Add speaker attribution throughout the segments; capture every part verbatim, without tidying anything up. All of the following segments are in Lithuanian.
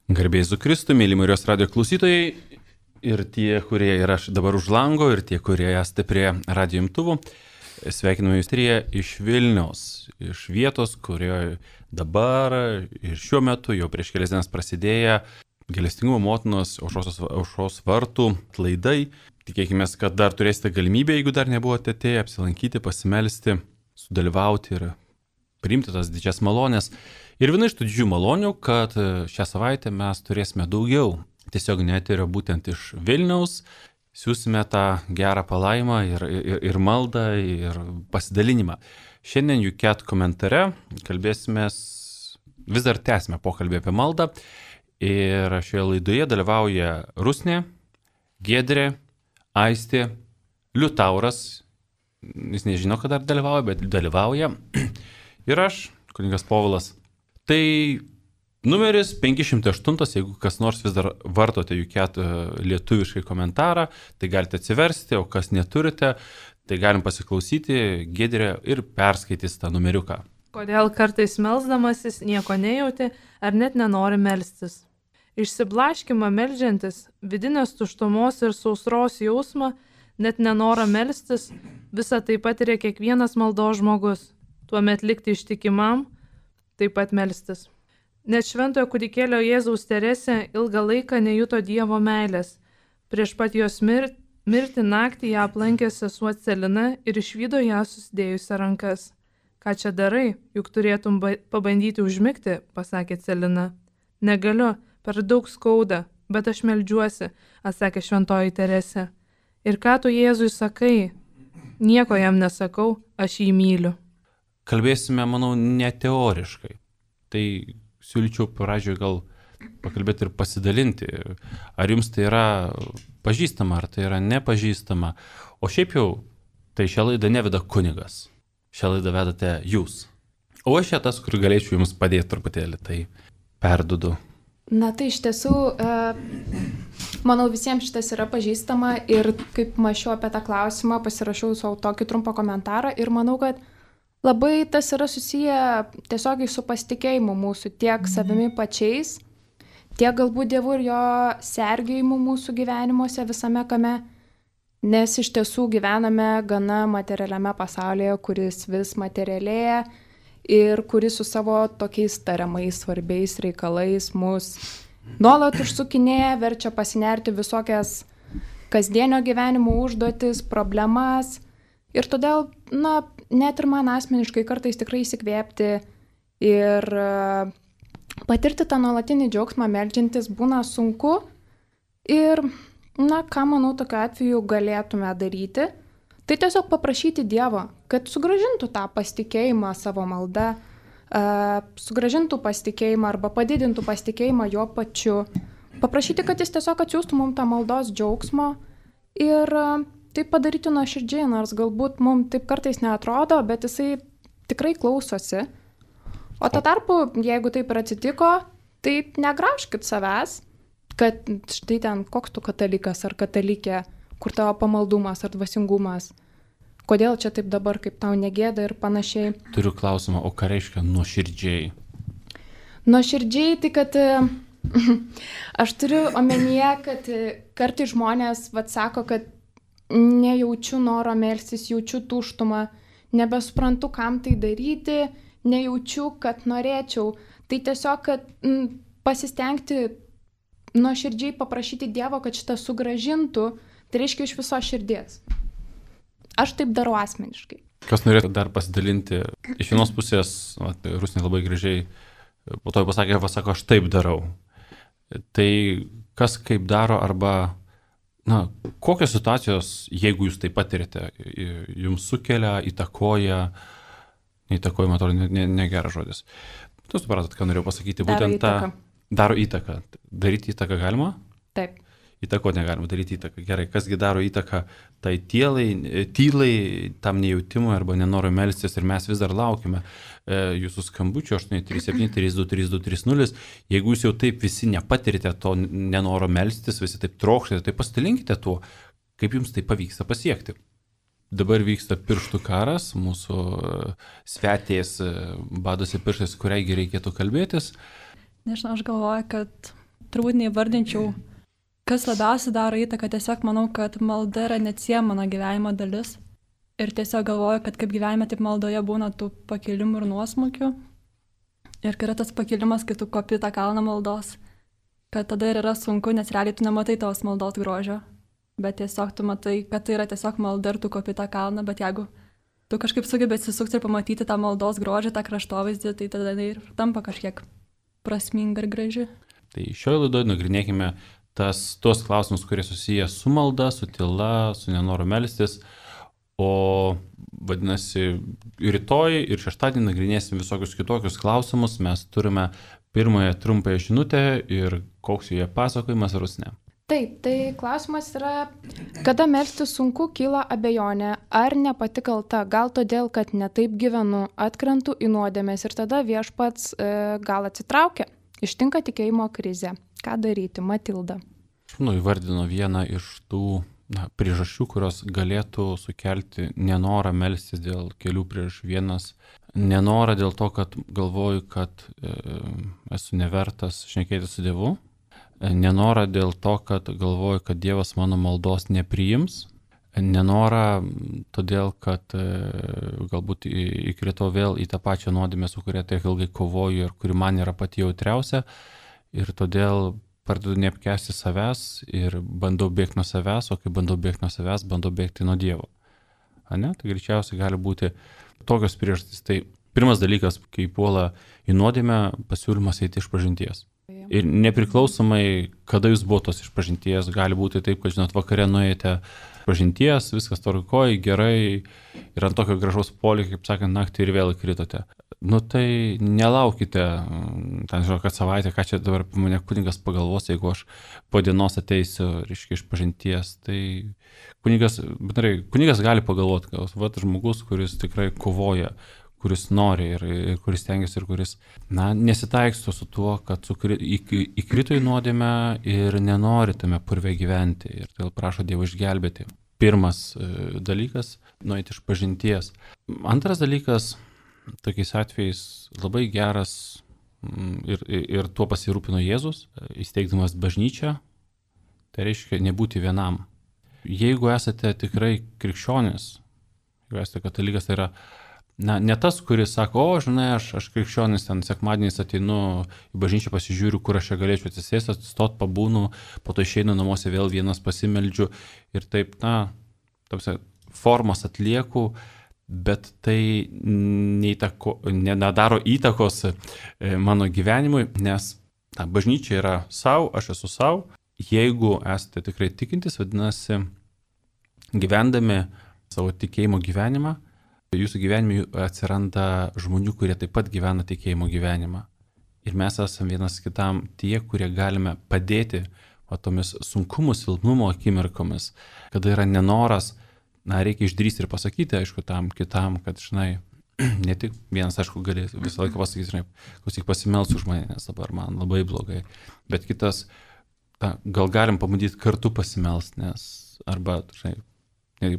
Speaker 1: Garbėjai Jėzui Kristui, mėly Marijos radijo klausytojai ir tie, kurie yra dabar už lango, ir tie, kurie esate prie radijo imtuvų. Sveikiname jūs trie iš Vilniaus, iš vietos, kurioje dabar ir šiuo metu jau prieš kelias dienas prasidėję Gailestingumo motinos aušros vartų atlaidai. Tikėkime, kad dar turėsite galimybę, jeigu dar nebuvote atėję, apsilankyti, pasimelsti, sudalyvauti ir priimti tas didžias malonės. Ir viena iš tų didžių malonių, kad šią savaitę mes turėsime daugiau tiesiog neterio būtent iš Vilniaus. Siūsime tą gerą palaimą ir, ir, ir maldą, ir pasidalinimą. Šiandien Juket komentare kalbėsime, vis dar tęsime pokalbį apie maldą. Ir šioje laidoje dalyvauja Rusnė, Giedrė, Aistė, Liutauras. Jis nežino, kad dar dalyvauja, bet dalyvauja. Ir aš, kunigas Povilas. Tai numeris penki šimtai aštuoni, jeigu kas nors vis dar vartote Juket lietuviškai komentarą, tai galite atsiversti, o kas neturite, tai galim pasiklausyti Giedrė ir perskaitys tą numeriuką.
Speaker 2: Kodėl kartais melsdamasis nieko nejauti ar net nenori melstis? Išsiblaškimą meldžiantis, vidinės tuštumos ir sausros jausmą, net nenorą melstis, visą tai patiria kiekvienas maldos žmogus. Tuomet likti ištikimam, taip pat melstis. Net šventojo kūdikėlio Jėzaus Teresė ilgą laiką nejuto Dievo meilės. Prieš pat jos mir- mirtį naktį ją aplankė sesuo Celina ir išvydo ją susidėjusią rankas. Ką čia darai, juk turėtum ba- pabandyti užmigti, pasakė Celina. Negaliu, per daug skauda, bet aš meldžiuosi, atsakė šventoji Teresė. Ir ką tu Jėzui sakai? Nieko jam nesakau, aš jį myliu.
Speaker 1: Kalbėsime, manau, ne teoriškai. Tai siūlyčiau pradžioje gal pakalbėti ir pasidalinti. Ar jums tai yra pažįstama, ar tai yra nepažįstama. O šiaip jau, tai šią laidą neveda kunigas. Šią laidą vedate jūs. O aš čia tas, kur galėčiau jums padėti truputėlį, tai perdudu.
Speaker 3: Na tai iš tiesų, manau visiems šitas yra pažįstama ir kaip mačiau apie tą klausimą, pasirašiau savo tokį trumpą komentarą ir manau, kad labai tas yra susiję tiesiogiai su pasitikėjimu mūsų tiek savimi pačiais, tiek galbūt Dievu ir jo sergėjimu mūsų gyvenimuose visame kame, nes iš tiesų gyvename gana materialiame pasaulyje, kuris vis materialėja ir kuris su savo tokiais tariamais svarbiais reikalais mus nuolat užsukinėja, verčia pasinerti visokias kasdienio gyvenimo užduotis, problemas. Ir todėl, na, net ir man asmeniškai kartais tikrai įsikvėpti ir patirti tą nuolatinį džiaugsmą meldžiantis būna sunku. Ir, na, ką manau tokiu atveju galėtume daryti, tai tiesiog paprašyti Dievo, kad sugrąžintų tą pasitikėjimą savo malda, uh, sugrąžintų pasitikėjimą arba padidintų pasitikėjimą jo pačiu. Paprašyti, kad jis tiesiog atsiųstų mums tą maldos džiaugsmo ir uh, tai padaryti nuoširdžiai, nors galbūt mums taip kartais neatrodo, bet jisai tikrai klausosi. O tuo tarpu, jeigu taip ir atsitiko, tai negraužkit savęs, kad štai ten koks tu katalikas ar katalikė, kur tavo pamaldumas ar dvasingumas, kodėl čia taip dabar, kaip tau negėda ir panašiai.
Speaker 1: Turiu klausimą, o ką reiškia nuoširdžiai?
Speaker 3: Nuoširdžiai, tai kad aš turiu omenyje, kad kartais žmonės vat, sako, kad nejaučiu noro melstis, jaučiu tuštumą, nebesuprantu, kam tai daryti, nejaučiu, kad norėčiau. Tai tiesiog, kad m, pasistengti nuoširdžiai paprašyti Dievo, kad šitą sugrąžintų, tai reiškia iš viso širdies. Aš taip darau asmeniškai.
Speaker 1: Kas norėtų dar pasidalinti? Iš vienos pusės, vat, Rusnė labai gražiai po to pasakė, pasako, aš taip darau. Tai kas kaip daro arba, na, kokios situacijos, jeigu jūs tai patirite, jums sukelia, įtakoja, neįtakoja, man atrodo, negeras žodis. Tu supratot, ką norėjau pasakyti, būtent tą daro įtaką. Daryti įtaką galima?
Speaker 3: Taip.
Speaker 1: Įtako negalima daryti įtaką. Gerai, kasgi daro įtaką tai tylai, tylai tam nejautimui arba nenoro melstis ir mes vis dar laukime e, jūsų skambučio aštuoni trys septyni trys du trys du trys nulis. Jeigu jūs jau taip visi nepatirite to nenoro melstis, visi taip trokštate, tai pasidalinkite tuo, kaip jums tai pavyksta pasiekti. Dabar vyksta pirštų karas, mūsų svetės badosi pirštais, kuriaigi reikėtų kalbėtis.
Speaker 4: Nežinau, aš galvoju, kad turbūt neįvardinčiau, kas labiausiai daro įtaką, tiesiog manau, kad malda yra neatsiejama mano gyvenimo dalis. Ir tiesiog galvoju, kad kaip gyvenime, taip maldoje būna tų pakilimų ir nuosmukių. Ir kai yra tas pakilimas, kai tu kopi tą kalną maldos, kad tada ir yra sunku, nes realiai tu nematai tos maldos grožio. Bet tiesiog tu matai, kad tai yra tiesiog malda ir tu kopi tą kalną, bet jeigu tu kažkaip sugebė atsisukti ir pamatyti tą maldos grožį, tą kraštovaizdį, tai tada ir tampa kažkiek prasminga ir graži.
Speaker 1: Tai šioje laidoje nagrinėkime tas, tuos klausimus, kurie susiję su malda, su tyla, su nenoru melstis, o vadinasi, rytoj ir šeštadienį nagrinėsim visokius kitokius klausimus. Mes turime pirmąją trumpąją žinutę ir koks joje pasakojimas, Rusne.
Speaker 3: Taip, tai klausimas yra, kada melstis sunku, kyla abejonė, ar ne pati kalta, gal todėl, kad netaip gyvenu, atkrentu į nuodėmės ir tada viešpats e, gal atsitraukia, ištinka tikėjimo krizė. Ką daryti, Matilda?
Speaker 1: Nu, įvardino vieną iš tų na, priežasčių, kurios galėtų sukelti nenorą melstis dėl kelių priežasčių. Vienas nenorą dėl to, kad galvoju, kad e, esu nevertas šnekėti su Dievu. Nenorą dėl to, kad galvoju, kad Dievas mano maldos nepriims. Nenorą todėl, kad e, galbūt įkritau vėl į tą pačią nuodėmę, su kuria tiek ilgai kovoju ir kuri man yra pati jautriausia. Ir todėl pradedu neapkęsti savęs ir bandau bėgti nuo savęs, o kai bandau bėgti nuo savęs, bandau bėgti nuo Dievo. Ane? Tai greičiausiai gali būti tokios priežastys. Tai pirmas dalykas, kai puola į nuodėmę, pasiūlymas eiti iš pažinties. Ir nepriklausomai, kada jūs buvo tos išpažinties, gali būti taip, kad, žinot, vakare nuėjote pažinties, viskas tvarkoj, gerai, ir ant tokio gražaus polio, kaip sakant, naktį ir vėl įkritote. Nu tai nelaukite, ten žinau, kad savaitę, ką čia dabar mane kunigas pagalvos, jeigu aš po dienos ateisiu, reiškia, iš pažinties, tai kunigas, bendrai, kunigas gali pagalvoti, kad vat žmogus, kuris tikrai kovoja, kuris nori ir, ir kuris tengiasi ir kuris, na, nesitaiksto su tuo, kad sukri, įkrito į nuodėmę ir nenori tame purve gyventi ir todėl prašo Dievo išgelbėti. Pirmas e, dalykas – nueiti iš pažinties. Antras dalykas – tokiais atvejais labai geras ir, ir, ir tuo pasirūpino Jėzus, įsteigdamas bažnyčią, tai reiškia nebūti vienam. Jeigu esate tikrai krikščionis, jeigu esate katalikas, tai yra Na, ne tas, kuris sako, o, žinai, aš, aš krikščionis, ten sekmadieniais ateinu į bažnyčią, pasižiūriu, kur aš čia galėčiau atsisėsti, atsistot, pabūnu, po to išeinu namuose vėl vienas pasimeldžiu ir taip, na, tapsi, formas atlieku, bet tai neįtako, nedaro įtakos mano gyvenimui, nes na, bažnyčia yra savo, aš esu savo. Jeigu esate tikrai tikintis, vadinasi, gyvendami savo tikėjimo gyvenimą, jūsų gyvenime atsiranda žmonių, kurie taip pat gyvena tikėjimo gyvenimą. Ir mes esame vienas kitam tie, kurie galime padėti o, tomis sunkumų, silpnumo akimirkomis, kada yra nenoras, na, reikia išdrįsti ir pasakyti, aišku, tam kitam, kad, žinai, ne tik vienas, aišku, gali visą laiką pasakyti, žinai, klausyk, pasimelsk už mane, nes dabar man labai blogai, bet kitas, na, gal galim pabandyti kartu pasimelst, nes, arba, žinai,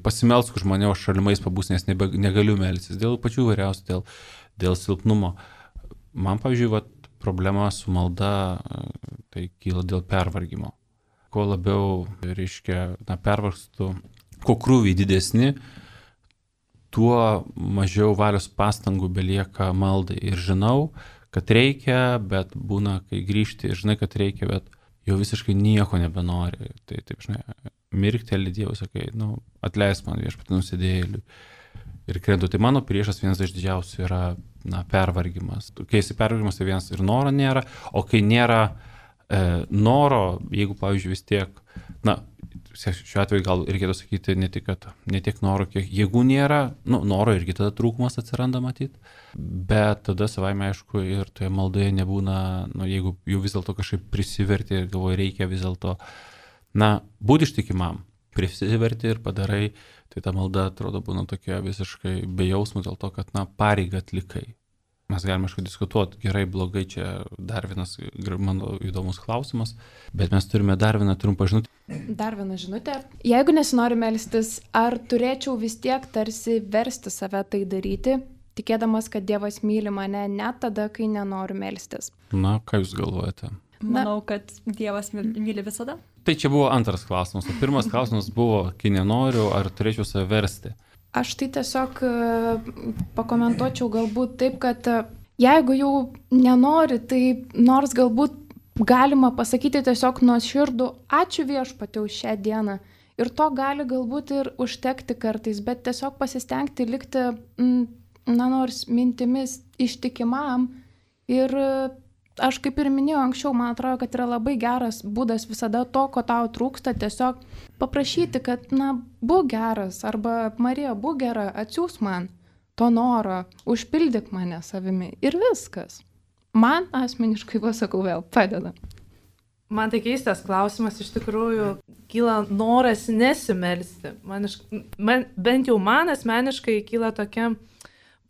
Speaker 1: pasimelsk už mane, o šalimais pabūs, nes nebe, negaliu melstis dėl pačių vairiausių, dėl, dėl silpnumo. Man, pavyzdžiui, vat, problema su malda, tai kyla dėl pervargimo. Kuo labiau, reiškia, na, pervargstu, kuo krūviai didesni, tuo mažiau valios pastangų belieka maldai. Ir žinau, kad reikia, bet būna, kai grįžti, žinai, kad reikia, bet jau visiškai nieko nebenori. Tai taip, žinai, mirkteli Dievui, sakai, nu, atleisk man viešpatį nusidėjėliui. Ir krentu, tai mano priešas vienas iš didžiausių yra, na, pervargimas. Kai esi pervargimas, tai vienas ir noro nėra, o kai nėra e, noro, jeigu, pavyzdžiui, vis tiek, na, šiuo atveju gal reikėtų sakyti ne tik, kad ne tiek noro, kiek jėgų nėra, nu, noro irgi tada trūkumas atsiranda matyti, bet tada savaime, aišku, ir toje maldoje nebūna, nu, jeigu jau vis dėlto kažkaip prisiverti ir galvoju, reikia vis dėlto, na, būti ištikimam, prisiverti ir padarai, tai ta malda atrodo būna tokia visiškai be jausmų dėl to, kad, na, pareigą atlikai. Mes galime, aišku, diskutuoti, gerai, blogai, čia dar vienas mano įdomus klausimas, bet mes turime dar vieną trumpą žinutę.
Speaker 3: Dar vieną žinutę. Jeigu nesinori melstis, ar turėčiau vis tiek tarsi versti save tai daryti, tikėdamas, kad Dievas myli mane net tada, kai nenoriu melstis?
Speaker 1: Na, ką jūs galvojate?
Speaker 4: Manau, kad Dievas myli visada.
Speaker 1: Tai čia buvo antras klausimas. O pirmas klausimas buvo, kai nenoriu, ar turėčiau save versti.
Speaker 3: Aš tai tiesiog pakomentuočiau galbūt taip, kad jeigu jau nenori, tai nors galbūt galima pasakyti tiesiog nuoširdų ačiū Viešpatie už šią dieną. Ir to gali galbūt ir užtekti kartais, bet tiesiog pasistengti likti, na nors mintimis ištikimam. Ir aš kaip ir minėjau anksčiau, man atrodo, kad yra labai geras būdas visada to, ko tau trūksta, tiesiog paprašyti, kad, na, būk geras, arba Marija, būk gera, atsiūs man to noro, užpildyk mane savimi ir viskas. Man asmeniškai, pasakau vėl, padeda.
Speaker 2: Man tai keistas klausimas, iš tikrųjų, kyla noras nesimelsti. Man, iš, man, bent jau man asmeniškai kyla tokia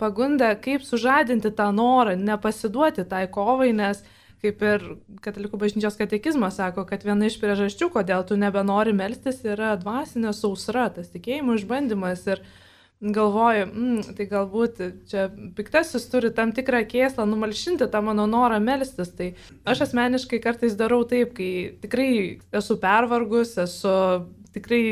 Speaker 2: pagunda, kaip sužadinti tą norą, nepasiduoti tai kovai, nes kaip ir Katalikų bažnyčios katekizmas sako, kad viena iš priežasčių, kodėl tu nebenori melstis, yra dvasinė sausra, tas tikėjimo išbandymas ir galvoju, mm, tai galbūt čia piktasis turi tam tikrą kėslą numalšinti tą mano norą melstis. Tai aš asmeniškai kartais darau taip, kai tikrai esu pervargus, esu tikrai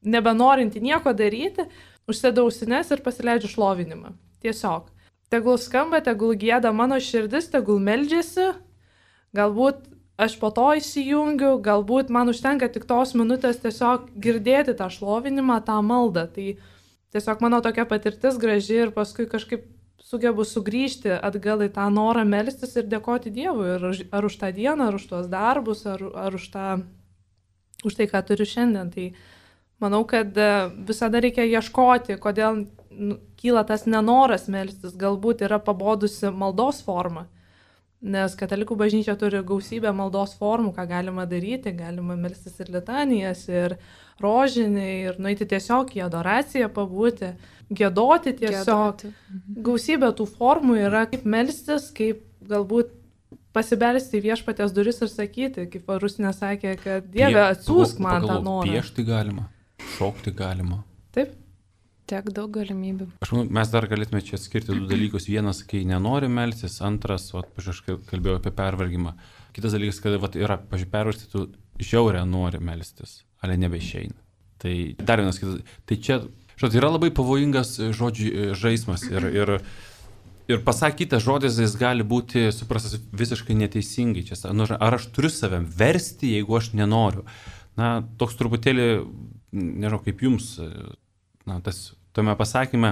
Speaker 2: nebenorinti nieko daryti, užsėdau ausines ir pasileidžiu šlovinimą. Tiesiog. Tegul skamba, tegul gėda mano širdis, tegul meldžiasi, galbūt aš po to įsijungiu, galbūt man užtenka tik tos minutės tiesiog girdėti tą šlovinimą, tą maldą. Tai tiesiog mano tokia patirtis graži ir paskui kažkaip sugebu sugrįžti atgal į tą norą melstis ir dėkoti Dievui. Ir ar už tą dieną, ar už tuos darbus, ar, ar už, tą, už tai, ką turiu šiandien. Tai manau, kad visada reikia ieškoti, kodėl kyla tas nenoras melstis. Galbūt yra pabodusi maldos forma. Nes Katalikų bažnyčia turi gausybę maldos formų, ką galima daryti. Galima melstis ir litanijas, ir rožinį, ir nueiti tiesiog į adoraciją pabūti, giedoti tiesiog. Giedoti. Gausybė tų formų yra, kaip melstis, kaip galbūt pasibelsti į Viešpaties duris ir sakyti, kaip Rusnė sakė, kad Dieve, atsiųsk man tą norą.
Speaker 1: Piešti galima, šokti galima.
Speaker 2: Taip.
Speaker 3: Tiek daug galimybių.
Speaker 1: Aš manau, mes dar galėtume čia skirti du dalykus. Vienas, kai nenori melstis, antras, vat, aš kalbėjau apie pervargimą. Kitas dalykas, kad vat, yra, pažiūrėjau, pervargti, tu žiaurę nori melstis, ale nebeišeina. Tai dar vienas kitas. Tai čia, žodžiu, yra labai pavojingas žodžių žaismas ir, ir, ir pasakytas žodis, jis gali būti suprastas visiškai neteisingai. Čia, nu, ar aš turiu savęs versti, jeigu aš nenoriu? Na, toks truputėlį, nežinau, kaip jums, na, tas tame pasakyme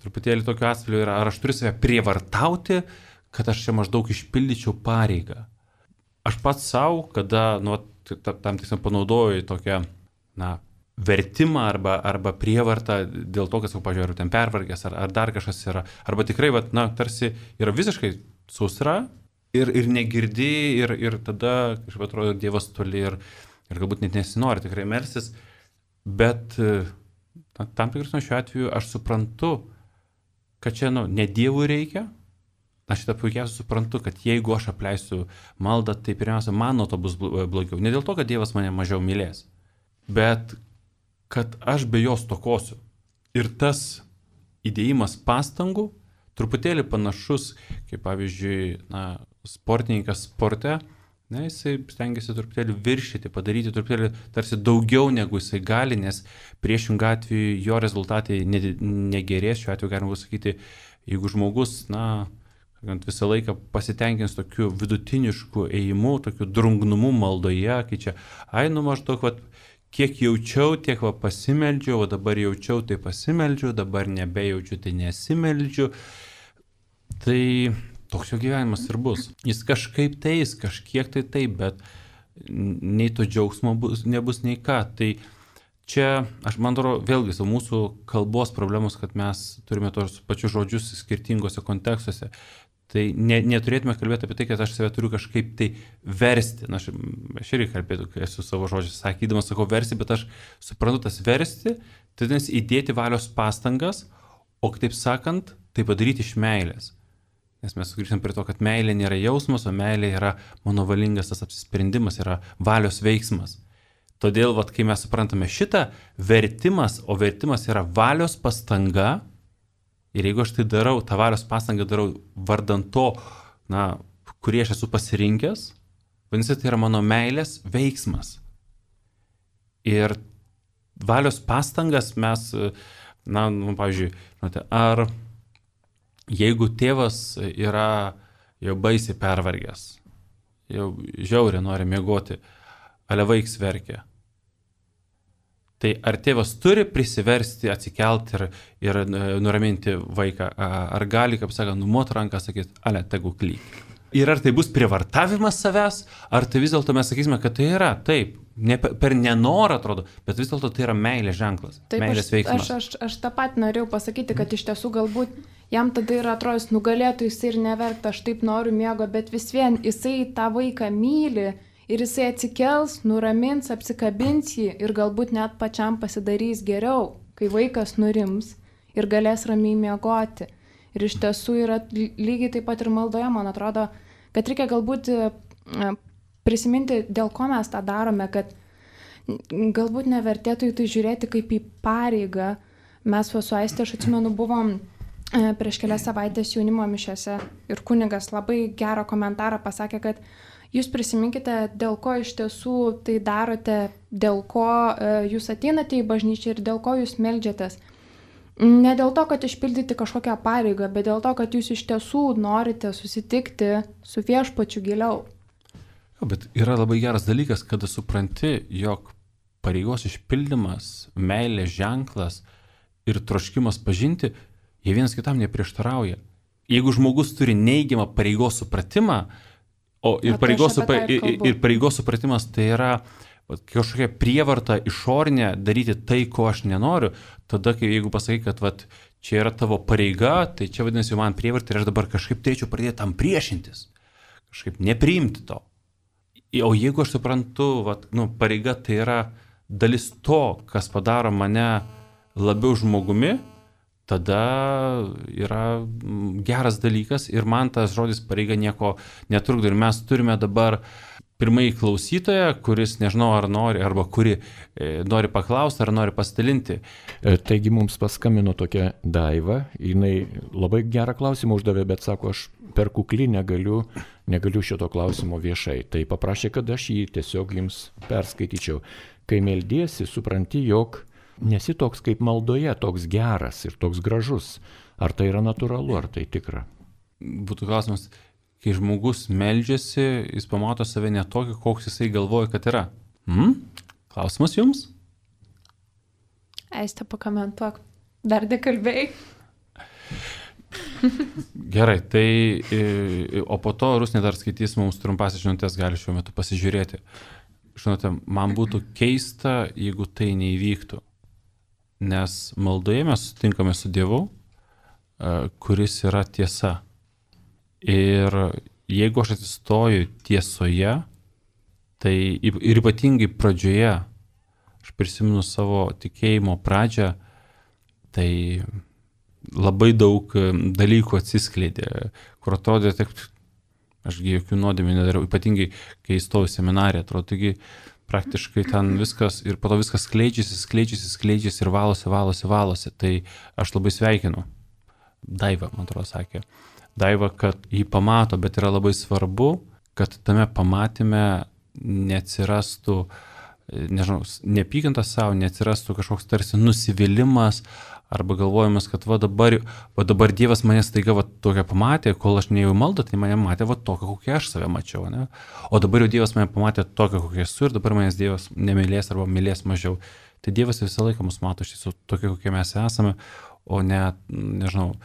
Speaker 1: truputėlį tokio atspalvio yra, ar aš turiu save prievartauti, kad aš čia maždaug išpildyčiau pareigą. Aš pats savo, kada, nu, tam tiksliau panaudoju tokią, na, vertimą arba, arba prievartą dėl to, kad, pažiūrėjau, ten pervargęs ar, ar dar kažkas yra, arba tikrai, vat, na, tarsi yra visiškai sausra ir, ir negirdi ir, ir tada, kažkaip atrodo, Dievas toli ir, ir galbūt net nesinori tikrai melstis, bet tam tikras nuo šiuo atveju aš suprantu, kad čia, nu, ne Dievui reikia. Aš šitą puikiausiai suprantu, kad jeigu aš apleisiu maldą, tai pirmiausia, man nuo to bus blogiau. Ne dėl to, kad Dievas mane mažiau mylės, bet kad aš be jos tokosiu. Ir tas įdėjimas pastangų truputėlį panašus, kaip pavyzdžiui, na, sportininkas sporte, ne, jisai stengiasi truputėlį viršyti, padaryti truputėlį tarsi daugiau negu jisai gali, nes priešingų atveju jo rezultatai negerės. Šiuo atveju galima sakyti, jeigu žmogus, na, visą laiką pasitenkins tokiu vidutinišku ėjimu, tokiu drungnumu maldoje, kai čia, ai, nu maždaug, va, kiek jaučiau, tiek va pasimeldžiau, o dabar jaučiau, tai pasimeldžiu, dabar nebejaučiu, tai nesimeldžiu. Tai toks jo gyvenimas ir bus. Jis kažkaip teis, kažkiek tai taip, bet nei to džiaugsmo bus, nebus nei ką. Tai čia, aš man atrodo, vėlgi, su mūsų kalbos problemos, kad mes turime tos pačius žodžius skirtingose kontekstuose. Tai ne, neturėtume kalbėti apie tai, kad aš save turiu kažkaip tai versti. Na, aš, aš irgi kalbėtų, kai esu savo žodžius sakydamas, sakau versti, bet aš suprantu tas versti, tai nes įdėti valios pastangas, o kitaip sakant, tai padaryti iš meilės. Nes mes sugrįžtam prie to, kad meilė nėra jausmas, o meilė yra mano valingas tas apsisprendimas, yra valios veiksmas. Todėl, vat, kai mes suprantame šitą, vertimas, o vertimas yra valios pastanga, ir jeigu aš tai darau, tą valios pastangą darau vardant to, na, kurį aš esu pasirinkęs, vadinasi, tai yra mano meilės veiksmas. Ir valios pastangas mes, na, nu, pavyzdžiui, žinote, ar jeigu tėvas yra jau baisiai pervargęs, jau žiauriai nori miegoti, ale vaiks verkia, tai ar tėvas turi prisiversti, atsikelti ir, ir nuraminti vaiką, ar gali, kaip sako, numoti ranką, sakyti, ale, tegu klyk. Ir ar tai bus privartavimas savęs, ar tai vis dėlto mes sakysime, kad tai yra, taip, ne, per nenorą atrodo, bet vis dėlto tai yra meilės ženklas,
Speaker 3: taip,
Speaker 1: meilės
Speaker 3: aš,
Speaker 1: veiksmas.
Speaker 3: Aš, aš, aš tą pat norėjau pasakyti, kad iš tiesų galbūt jam tada ir atrodys, nugalėtų jisai ir neverkti, aš taip noriu miego, bet vis vien jisai tą vaiką myli ir jisai atsikels, nuramins, apsikabins jį ir galbūt net pačiam pasidarys geriau, kai vaikas nurims ir galės ramiai miegoti. Ir iš tiesų yra lygiai taip pat ir maldoje, man atrodo, kad reikia galbūt prisiminti, dėl ko mes tą darome, kad galbūt nevertėtų į tai žiūrėti kaip į pareigą. Mes su Aiste, aš atsimenu, buvom prieš kelias savaitės jaunimo mišiose ir kunigas labai gerą komentarą pasakė, kad jūs prisiminkite, dėl ko iš tiesų tai darote, dėl ko jūs ateinate į bažnyčią ir dėl ko jūs meldžiatės. Ne dėl to, kad išpildyti kažkokią pareigą, bet dėl to, kad jūs iš tiesų norite susitikti su viešpačiu giliau.
Speaker 1: Jo, bet yra labai geras dalykas, kada supranti, jog pareigos išpildymas, meilės ženklas ir troškimas pažinti, jie vienas kitam neprieštarauja. Jeigu žmogus turi neigiamą pareigos supratimą, o ir, pareigos, supra, ir, ir pareigos supratimas tai yra kažkokia prievarta išorinė daryti tai, ko aš nenoriu, tada, kai jeigu pasakai, kad vat, čia yra tavo pareiga, tai čia vadinasi man prievarta ir aš dabar kažkaip turėčiau pradėti tam priešintis, kažkaip nepriimti to. O jeigu aš suprantu, vat, nu, pareiga tai yra dalis to, kas padaro mane labiau žmogumi, tada yra geras dalykas ir man tas žodis pareiga nieko netrukdo. Ir mes turime dabar pirmąjį klausytoją, kuris nežinau ar nori, arba kuri e, nori paklausti, ar nori pasidalinti.
Speaker 5: Taigi mums paskambino tokia Daiva, jinai labai gerą klausimą uždavė, bet sako, aš per kuklį negaliu, negaliu šito klausimo viešai. Tai paprašė, kad aš jį tiesiog jums perskaityčiau. Kai meldiesi, supranti, jog nesi toks kaip maldoje, toks geras ir toks gražus. Ar tai yra natūralu, ar tai tikra?
Speaker 1: Būtų klausimas, kai žmogus meldžiasi, jis pamato save ne tokį, koks jisai galvoja, kad yra. Hmm? Klausimas jums?
Speaker 3: Aiste, pakomentuok. Dar nekalbėjai.
Speaker 1: Gerai, tai o po to Rusnė dar skaitys mums trumpasis žinutės, gali šiuo metu pasižiūrėti. Žinote, man būtų keista, jeigu tai neįvyktų. Nes maldoje mes sutinkame su Dievu, kuris yra tiesa. Ir jeigu aš atsistoju tiesoje, tai ir ypatingai pradžioje, aš prisimenu savo tikėjimo pradžią, tai labai daug dalykų atsiskleidė, kur atrodė, tik, ašgi jokių nuodėmių nedariau, ypatingai kai įstojau į seminariją, atrodo, taigi praktiškai ten viskas ir po to viskas skleidžiasi, skleidžiasi, skleidžiasi ir valosi, valosi, valosi. Tai aš labai sveikinu. Daiva, man atrodo, sakė. Daiva, kad jį pamato, bet yra labai svarbu, kad tame pamatyme neatsirastų, nežinau, nepykantas savo, neatsirastų kažkoks tarsi nusivylimas arba galvojimas, kad va dabar, va dabar Dievas mane staiga va tokia pamatė, kol aš nejau maldą, tai mane matė va tokia, kokia aš save mačiau, ne? O dabar jau Dievas mane pamatė tokia, kokia esu ir dabar manęs Dievas nemylės arba mylės mažiau. Tai Dievas visą laiką mus mato iš tiesų tokia, kokie mes esame, o ne, nežinau,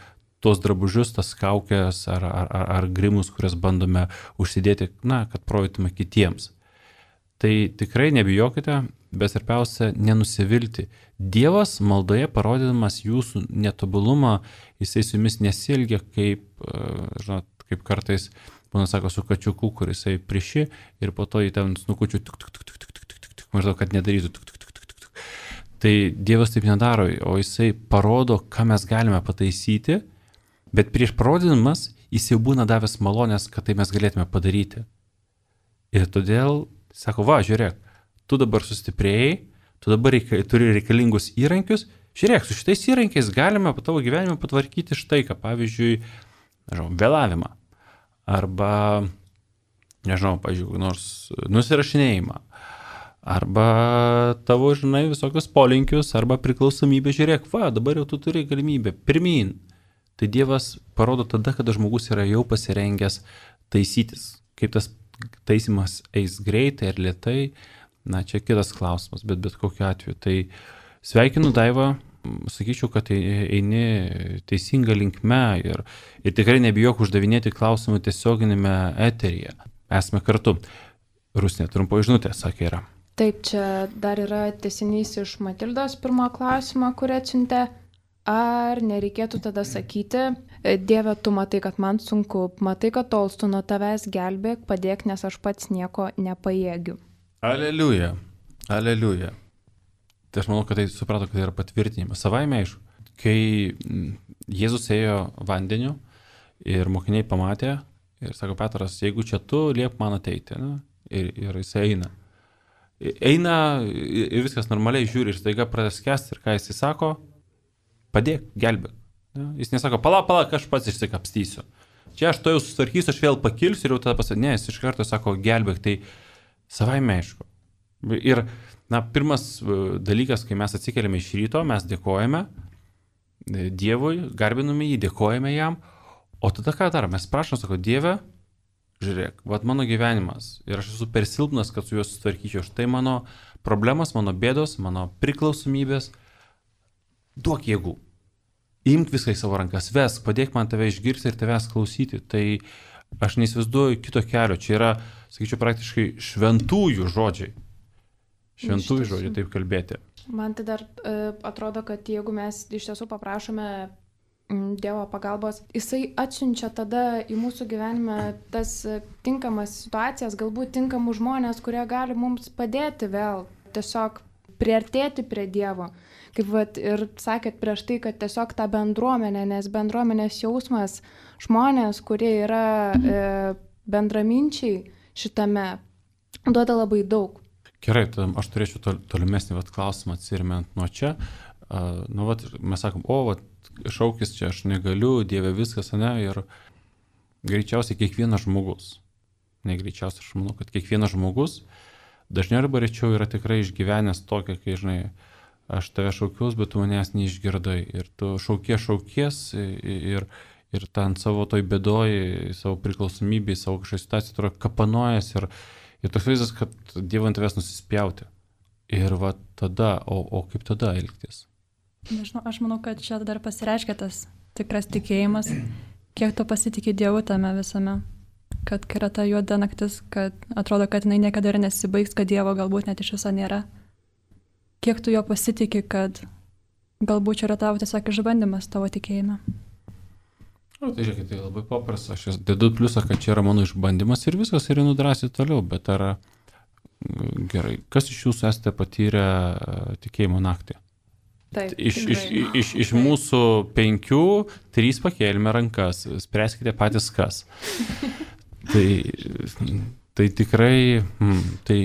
Speaker 1: tuos drabužius, tas kaukės ar, ar, ar, ar grimus, kurias bandome užsidėti, na, kad parodytume kitiems. Tai tikrai nebijokite, bet svarbiausia nenusivilti. Dievas maldoje parodydamas jūsų netobulumą, jisai su jumis nesielgia kaip, žinot, kaip kartais, būna sako, su kačiuku, kuris jisai priši ir po to jį ten snukučiu, tuk, tuk, tuk, tuk, tuk, tuk, tuk, tuk, maždaug, kad nedarytų. Tuk, tuk, tuk, tuk, tuk. Tai Dievas taip nedaro, o jisai parodo, ką mes galime pataisyti, bet prieš parodydamas jis jau būna davęs malonės, kad tai mes galėtume padaryti. Ir todėl, sako, va, žiūrėk, tu dabar sustiprėjai, tu dabar reika, turi reikalingus įrankius, žiūrėk, su šitais įrankiais galime po tavo gyvenimą patvarkyti štai ką, pavyzdžiui, nežinau, vėlavimą, arba nežinau, pažiūrėjau, nors nusirašinėjimą, arba tavo, žinai, visokius polinkius, arba priklausomybę, žiūrėk, va, dabar jau tu turi galimybę, pirmin. Tai Dievas parodo tada, kada žmogus yra jau pasirengęs taisytis. Kaip tas taisymas eis greitai ar lėtai, na, čia kitas klausimas, bet bet kokiu atveju. Tai sveikinu Daivą, sakyčiau, kad eini teisinga linkme ir, ir tikrai nebijok uždavinėti klausimų tiesioginėme eteryje. Esame kartu. Rusnė, trumpo žinutė, sakė yra.
Speaker 3: Taip, čia dar yra tęsinys iš Matildos pirmo klausimo, kurį atsiuntė. Ar nereikėtų tada sakyti, Dieve, tu matai, kad man sunku, matai, kad tolstu nuo tavęs, gelbėk, padėk, nes aš pats nieko nepajėgiu.
Speaker 1: Aleliuja, aleliuja. Tai aš manau, kad tai suprato, kad tai yra patvirtinimas. Savaime aišku, kai Jėzus ėjo vandeniu ir mokiniai pamatė ir sako, Petras, jeigu čia tu, liep man ateiti. Ne? Ir, ir jis eina. Eina ir viskas normaliai žiūri ir staiga pradeda skęsti ir ką jis sako, padėk, gelbėk. Ja? Jis nesako, pala, pala, aš pats išsikapstysiu. Čia aš to jau susitvarkysiu, aš vėl pakilsiu ir jau tada pasakė, ne, jis iš karto sako, gelbėk, tai savaime aišku. Ir, na, pirmas dalykas, kai mes atsikeliame iš ryto, mes dėkojame Dievui, garbiname jį, dėkojame jam, o tada ką darom? Mes prašom, sako, Dieve, žiūrėk, vat mano gyvenimas ir aš esu per silpnas, kad su juos susitvarkyčiau. Štai mano problemas, mano bėdos, mano priklausomybės, duok jėgų. Imk viską į savo rankas, vesk, padėk man tave išgirsti ir tavęs klausyti. Tai aš neįsivaizduoju kito kelio. Čia yra, sakyčiau, praktiškai šventųjų žodžiai. Šventųjų žodžiai taip kalbėti.
Speaker 3: Man tai dar uh, atrodo, kad jeigu mes iš tiesų paprašome mm, Dievo pagalbos, jisai atsiunčia tada į mūsų gyvenimą tas tinkamas situacijas, galbūt tinkamus žmonės, kurie gali mums padėti vėl tiesiog priartėti prie Dievo. Kaip vat, ir sakėt prieš tai, kad tiesiog ta bendruomenė, nes bendruomenės jausmas, žmonės, kurie yra e, bendraminčiai šitame, duoda labai daug.
Speaker 1: Gerai, tai aš turėčiau tol, tolimesnį vat, klausimą atsirimant nuo čia. Uh, nu, vat, mes sakom, o, vat, šaukis čia, aš negaliu, Dieve viskas, ne, ir greičiausiai kiekvienas žmogus, ne greičiausiai, aš manau, kad kiekvienas žmogus dažniau arba rečiau yra tikrai išgyvenęs tokia, kai, žinai, aš tave šaukiaus, bet tu manęs neišgirdai. Ir tu šaukies, šaukies ir, ir ten savo toj bėdoj, savo priklausomybėj, savo kažkokią situaciją, tu kapanojas ir, ir toks vaizdas, kad Dievo ant tavęs nusispjauti. Ir va tada, o, o kaip tada elgtis?
Speaker 4: Nežinau, aš manau, kad čia dar pasireiškia tas tikras tikėjimas, kiek tu pasitikė Dievu tame visame. Kad kai yra ta juoda naktis, kad atrodo, kad jinai niekada ir nesibaigs, kad Dievo galbūt net iš viso nėra. Kiek tu jo pasitikė, kad galbūt čia yra tavo tiesiog išbandymas tavo tikėjime.
Speaker 1: O, tai žiūrėkit, tai labai paprasta. Aš dedu pliusą, kad čia yra mano išbandymas ir viskas ir nudrasiu toliau. Bet ar gerai, kas iš jūsų esate patyrę tikėjimo naktį?
Speaker 3: Taip,
Speaker 1: iš, iš, iš, iš mūsų penkių, trys pakėlėme rankas. Spręskite patys kas. Tai... Tai tikrai, mm, tai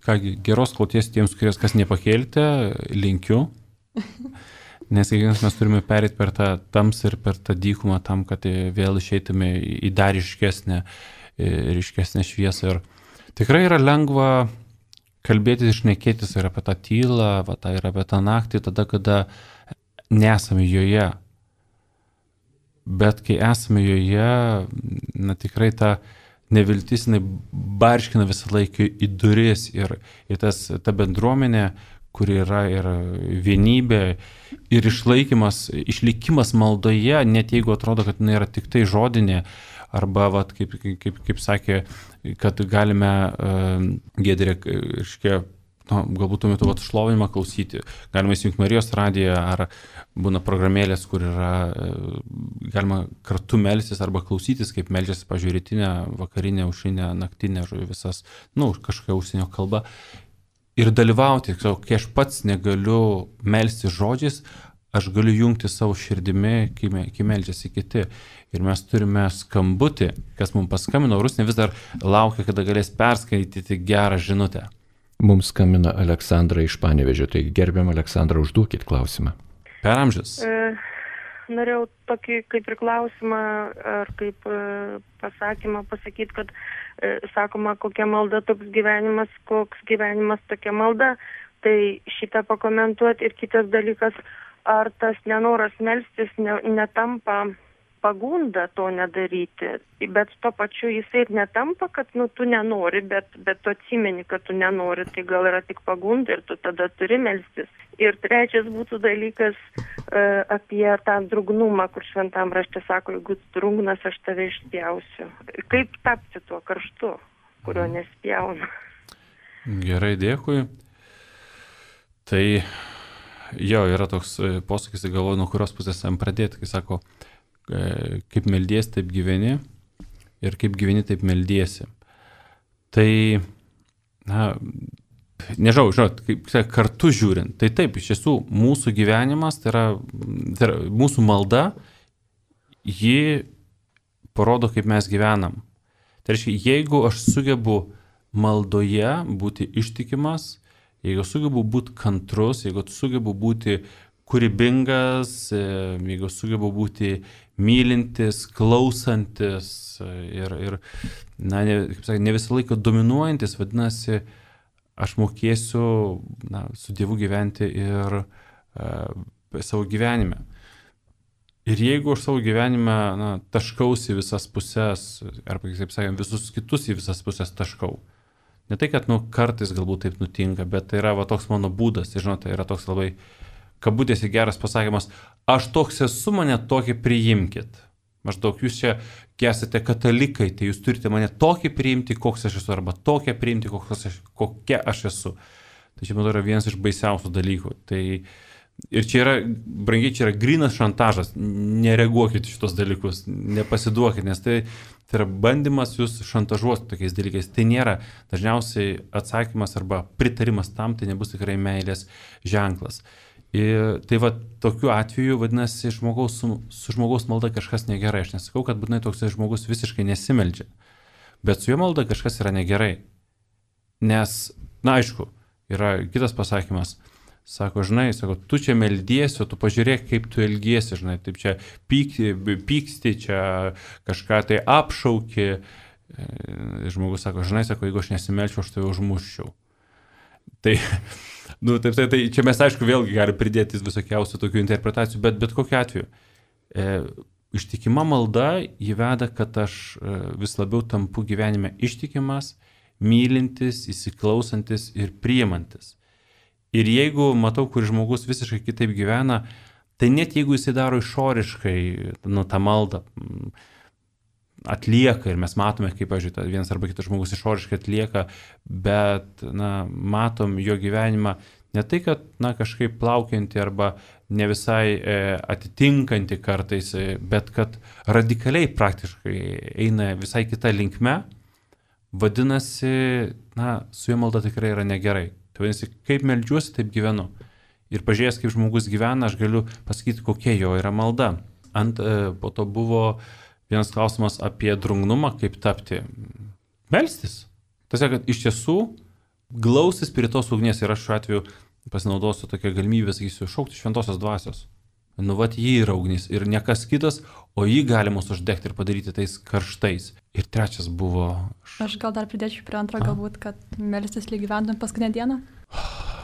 Speaker 1: kągi, geros kloties tiems, kurias kas nepakėlite, linkiu, nes kiekvienas mes turime perėti per tą tamsą ir per tą dykumą tam, kad vėl išeitume į dar ryškesnę, ryškesnę šviesą. Ir tikrai yra lengva kalbėtis, išnekėtis ir apie tą tylą, va, tai ir apie tą naktį, tada, kada nesame joje. Bet kai esame joje, na tikrai ta neviltis, jinai barškina visą laiką į duris ir, ir tas, ta bendruomenė, kuri yra ir vienybė, ir išlaikymas, išlikimas maldoje, net jeigu atrodo, kad jinai yra tik tai žodinė, arba, vat, kaip, kaip, kaip sakė, kad galime uh, Giedrė, iškia, nu, galbūt tuo metu vat, šlovinimą klausyti, galima įsijungti Marijos radiją, ar būna programėlės, kur yra, galima kartu melstis arba klausytis, kaip meldžiasi, pavyzdžiui, rytinę, vakarinę, aušrinę, naktinę, visas, nu, kažkokia užsienio kalba. Ir dalyvauti, kai aš pats negaliu melstis žodžiais, aš galiu jungti savo širdimi, kai, kai meldžiasi kiti. Ir mes turime skambutį, kas mums paskambino, Rusnė vis dar laukia, kada galės perskaityti gerą žinutę.
Speaker 5: Mums skambina Aleksandra iš Panevėžio, tai gerbiam Aleksandra, užduokit klausimą.
Speaker 1: Per amžius.
Speaker 6: E, norėjau tokį kaip ir klausimą ar kaip e, pasakymą pasakyti, kad e, sakoma, kokia malda toks gyvenimas, koks gyvenimas tokia malda. Tai šitą pakomentuoti. Ir kitas dalykas, ar tas nenoras melstis ne, netampa pagunda to nedaryti, bet tuo pačiu jisai ir netampa, kad nu, tu nenori, bet, bet tu atsimeni, kad tu nenori, tai gal yra tik pagunda ir tu tada turi melstis. Ir trečias būtų dalykas e, apie tą drugnumą, kur šventam rašte sako, jeigu drungnas, aš tave išspjausiu. Kaip tapti tuo karštu, kurio nespjauna?
Speaker 1: Gerai, dėkui. Tai jo, yra toks posakis, galvoju, nuo kurios pusės jam pradėti, kai sako, kaip meldiesi, taip gyveni ir kaip gyveni, taip meldiesi. Tai, na, nežinau, žinot, kaip kartu žiūrint, tai taip, iš tiesų, mūsų gyvenimas, tai yra, tai yra mūsų malda, ji parodo, kaip mes gyvenam. Tai reiškia, jeigu aš sugebu maldoje būti ištikimas, jeigu sugebu būti kantrus, jeigu sugebu būti kūrybingas, jeigu sugebu būti mylintis, klausantis ir, ir na, ne, kaip sakė, ne visą laiką dominuojantis, vadinasi, aš mokėsiu na, su Dievu gyventi ir uh, savo gyvenime. Ir jeigu aš savo gyvenime na, taškausi visas pusės, arba, kaip sakėm, visus kitus į visas pusės taškau, ne tai, kad nu, kartais galbūt taip nutinka, bet tai yra va, toks mano būdas, tai, žinote, yra toks labai kabutėse geras pasakymas, aš toks esu, mane tokį priimkit. Maždaug jūs čia esate katalikai, tai jūs turite mane tokį priimti, koks aš esu, arba tokią priimti, aš, kokia aš esu. Tai čia, manau, yra vienas iš baisiausių dalykų. Tai, ir čia yra, brangiai, čia yra grynas šantažas, nereaguokit šitos dalykus, nepasiduokit, nes tai, tai yra bandymas jūs šantažuoti tokiais dalykais. Tai nėra dažniausiai atsakymas arba pritarimas tam, tai nebus tikrai meilės ženklas. Ir tai va, tokiu atveju, vadinasi, žmogaus, su, su žmogaus malda kažkas negerai. Aš nesakau, kad būtinai toks žmogus visiškai nesimeldžia, bet su jo malda kažkas yra negerai. Nes, na aišku, yra kitas pasakymas, sako, žinai, sako, tu čia meldiesi, o tu pažiūrėk, kaip tu elgiesi, žinai, taip čia pykti, pyksti, čia kažką tai apšauki. Žmogus sako, žinai, sako, jeigu aš nesimelčiau, aš tave užmuščiau. Tai, nu, taip, tai, tai čia mes, aišku, vėlgi gali pridėti visokiausių tokių interpretacijų, bet bet kokiu atveju. E, ištikima malda įveda, kad aš e, vis labiau tampu gyvenime ištikimas, mylintis, įsiklausantis ir priimantis. Ir jeigu matau, kur žmogus visiškai kitaip gyvena, tai net jeigu jisai daro išoriškai, nu, tą maldą atlieka ir mes matome, kaip, pažiūrėjau, vienas arba kitas žmogus išoriškai atlieka, bet, na, matom jo gyvenimą ne tai, kad, na, kažkaip plaukianti arba ne visai e, atitinkanti kartais, e, bet kad radikaliai praktiškai eina visai kita linkme, vadinasi, na, su jo malda tikrai yra negerai. Tai vadinasi, kaip meldžiuosi, taip gyvenu. Ir pažiūrėjęs, kaip žmogus gyvena, aš galiu pasakyti, kokia jo yra malda. Ant, e, po to buvo vienas klausimas apie drungnumą, kaip tapti. Melstis. Tiesiog, kad iš tiesų glausis prie tos ugnies ir aš šiuo atveju pasinaudosiu tokią galimybę, sakysiu, šaukti šventosios dvasios. Nu, vat jį yra ugnis ir ne kas kitas, o jį galima uždegti ir padaryti tais karštais. Ir trečias buvo...
Speaker 4: Aš gal dar pridėčiau prie antro, galbūt, kad melstis lyg gyventum paskutinę dieną.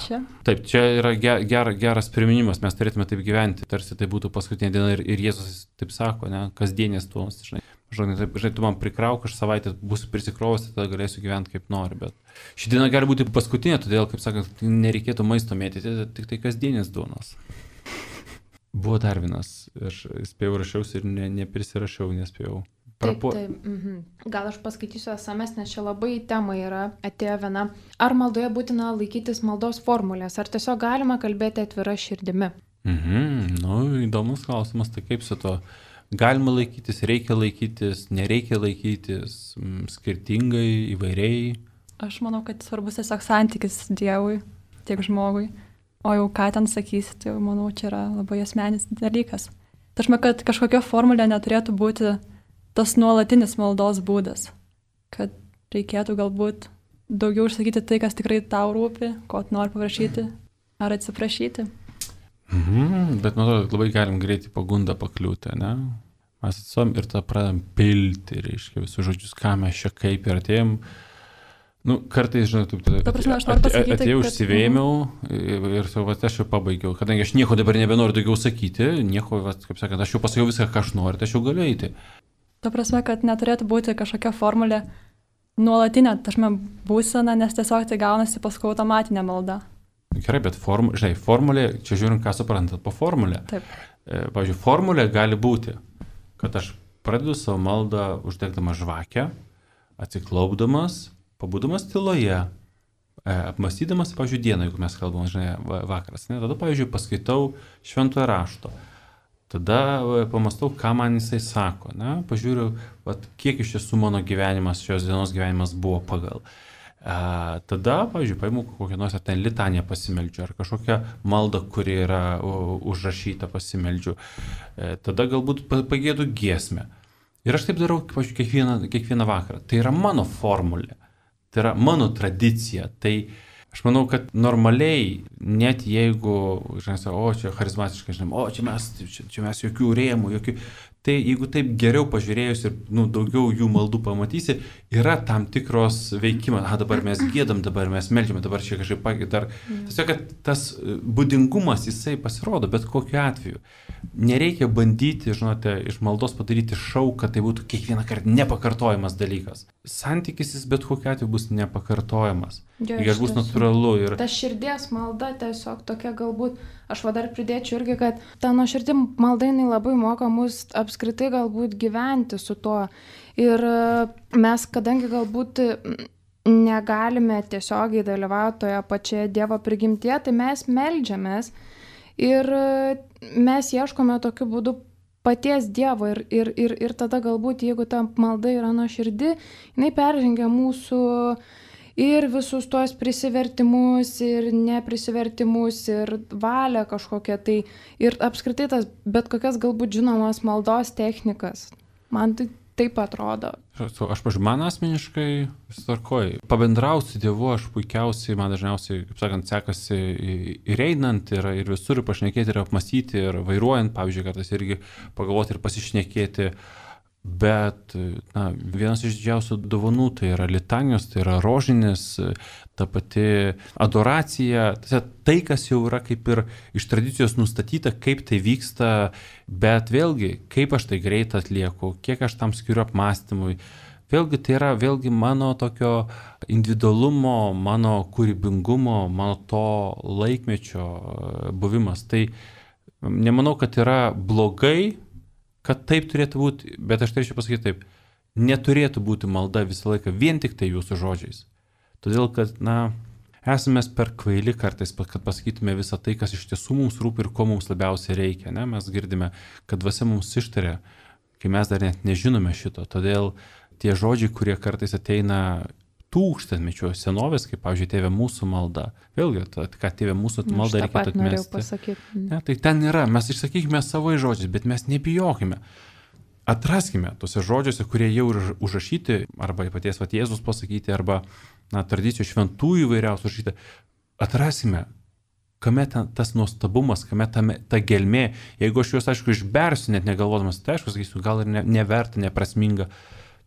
Speaker 4: Čia?
Speaker 1: Taip, čia yra ger, ger, geras priminimas, mes turėtume taip gyventi, tarsi tai būtų paskutinė diena ir, ir Jėzus taip sako, ne, kasdienės tuos, žinai, žinai, taip, žinai, tu man prikrauk, aš savaitę būsiu prisikrovęs, tada galėsiu gyventi kaip nori, bet ši diena gali būti paskutinė, todėl, kaip sakant, nereikėtų maisto mėtyti, tik tai kasdienės duonos. Buvo dar vienas, aš spėjau rašiausi ir ne, neprisirašiau, nespėjau.
Speaker 3: Taip, taip. Mhm. Gal aš paskaitysiu esames, nes čia labai tema yra, atėjo viena. Ar maldoje būtina laikytis maldos formulės, ar tiesiog galima kalbėti atvira širdimi?
Speaker 1: Mhm. Nu, įdomus klausimas, tai kaip su to galima laikytis, reikia laikytis, nereikia laikytis, skirtingai, įvairiai?
Speaker 4: Aš manau, kad svarbus tiesiog santykis Dievui, tiek žmogui. O jau ką ten sakysi, tai manau, čia yra labai asmenis dalykas. Tai aš manau, kad kažkokia formulė neturėtų būti tas nuolatinis maldos būdas, kad reikėtų galbūt daugiau išsakyti tai, kas tikrai tau rūpi, ko tu nori paprašyti ar atsiprašyti.
Speaker 1: Mhm, bet man atrodo, labai galim greitai pagundą pakliūti, ne? Mes atsom ir tą pradam pilti, reiškia, visus žodžius, ką mes čia kaip ir atėjom. Nu, kartais, žinai, taip,
Speaker 4: Ta prasme, aš noriu pasakyti,
Speaker 1: atėjau,
Speaker 4: kad-
Speaker 1: užsivėmiau ir, ir sau, va, aš jau pabaigiau. Kadangi aš nieko dabar nebenoriu daugiau sakyti, nieko, va, kaip sakant, aš jau pasakiau viską, ką aš noriu, tai aš jau galiu eiti.
Speaker 4: Ta prasme, kad neturėtų būti kažkokia formulė nuolatinė, tašme, būsena, nes tiesiog tai gaunasi paskui automatinė malda.
Speaker 1: Gerai, bet form, žinai, formulė, čia žiūrint, ką suprantat po formulę.
Speaker 4: Taip.
Speaker 1: E, Pavyzdžiui, formulė gali būti, kad aš pradedu savo maldą uždegdamas žvakę, atsiklaupdamas, pabūdamas tyloje, e, apmąstydamas, pavyzdžiui, dieną, jeigu mes kalbame, žinai, va- vakaras. Ne? Tada, pavyzdžiui, paskaitau šventojo rašto. Tada e, pamastau, ką man jisai sako. Ne? Pažiūriu, vat, kiek iš tiesų mano gyvenimas, šios dienos gyvenimas buvo pagal. E, tada, pavyzdžiui, paimu kokią nors ar ten litaniją pasimeldžiu, ar kažkokią maldą, kuri yra u, užrašyta pasimeldžiu. E, tada galbūt pa- pagėdu giesmę. Ir aš taip darau, pavyzdžiui, kiekvieną, kiekvieną vakarą. Tai yra mano formulė. Tai yra mano tradicija. Tai aš manau, kad normaliai, net jeigu, žinai, o čia charizmatiškai, žinai, o čia mes, čia, čia mes jokių rėmų, jokių... Tai jeigu taip geriau pažiūrėjus ir nu, daugiau jų maldų pamatysi, yra tam tikros veikimas. A, dabar mes gėdam, dabar mes meldžiame, dabar čia kažkaip pakit. Dar... Tiesiog, kad tas būdingumas jisai pasirodo, bet kokiu atveju. Nereikia bandyti, žinote, iš maldos padaryti šau, kad tai būtų kiekvieną kartą nepakartojamas dalykas. Santykis jis bet kokiu atveju bus nepakartojamas.
Speaker 3: Jo,
Speaker 1: Ir
Speaker 3: iš
Speaker 1: bus
Speaker 3: tiesų.
Speaker 1: natūralu. Ir...
Speaker 3: Ta širdies malda tiesiog tokia galbūt, aš va dar pridėčiau irgi, kad ta nuoširdi malda jinai labai moka mus apskritai galbūt gyventi su tuo. Ir e, mes, kadangi galbūt mm, negalime tiesiogiai dalyvauti toje pačioje Dievo prigimtyje, tai mes meldžiamės ir e, mes ieškome tokiu būdu paties Dievo ir, ir, ir, ir tada galbūt, jeigu ta malda yra nuoširdi, jinai peržengia mūsų ir visus tuos prisivertimus, ir neprisivertimus, ir valią kažkokią tai, ir apskritai tas bet kokias galbūt žinomas maldos technikas. Man tai taip atrodo.
Speaker 1: Aš, pažiūrėjau, man asmeniškai vis tvarkoj. Pabendrauti su Dievu aš puikiausiai, man dažniausiai, kaip sakant, sekasi ir einant, ir, ir visur ir pašnekėti, ir apmastyti, ir vairuojant, pavyzdžiui, kartais irgi pagalvoti ir pasišnekėti. Bet na, vienas iš didžiausių dovanų tai yra litanijos, tai yra rožinis, ta pati adoracija, tai, kas jau yra kaip ir iš tradicijos nustatyta, kaip tai vyksta, bet vėlgi, kaip aš tai greit atlieku, kiek aš tam skiriu apmąstymui. Vėlgi tai yra vėlgi mano tokio individualumo, mano kūrybingumo, mano to laikmečio buvimas. Tai nemanau, kad yra blogai, kad taip turėtų būti, bet aš turėčiau pasakyti taip, neturėtų būti malda visą laiką vien tik tai jūsų žodžiais. Todėl, kad, na, esame per kvaili kartais, kad pasakytume visą tai, kas iš tiesų mums rūpi ir ko mums labiausiai reikia. Ne? Mes girdime, kad dvasia mums ištaria, kai mes dar net nežinome šito. Todėl tie žodžiai, kurie kartais ateina tūkstantmečio senovės, kaip, pavyzdžiui, Tėve mūsų malda. Vėlgi, ta, ką Tėve mūsų malda reikėtų atmesti. Ne, tai ten yra, mes išsakykime savo žodžiais, bet mes nebijokime. Atraskime tuose žodžiuose, kurie jau yra užrašyti, arba paties vat Jėzus pasakyti, arba na, tradicijų šventųjų įvairiausių užrašyti. Atraskime, kame ta, tas nuostabumas, kame tame, ta gelmė. Jeigu aš juos, aišku, išbersiu, net negalvodamas, tai aišku, sakysiu, gal ir ne, neverta, neprasminga.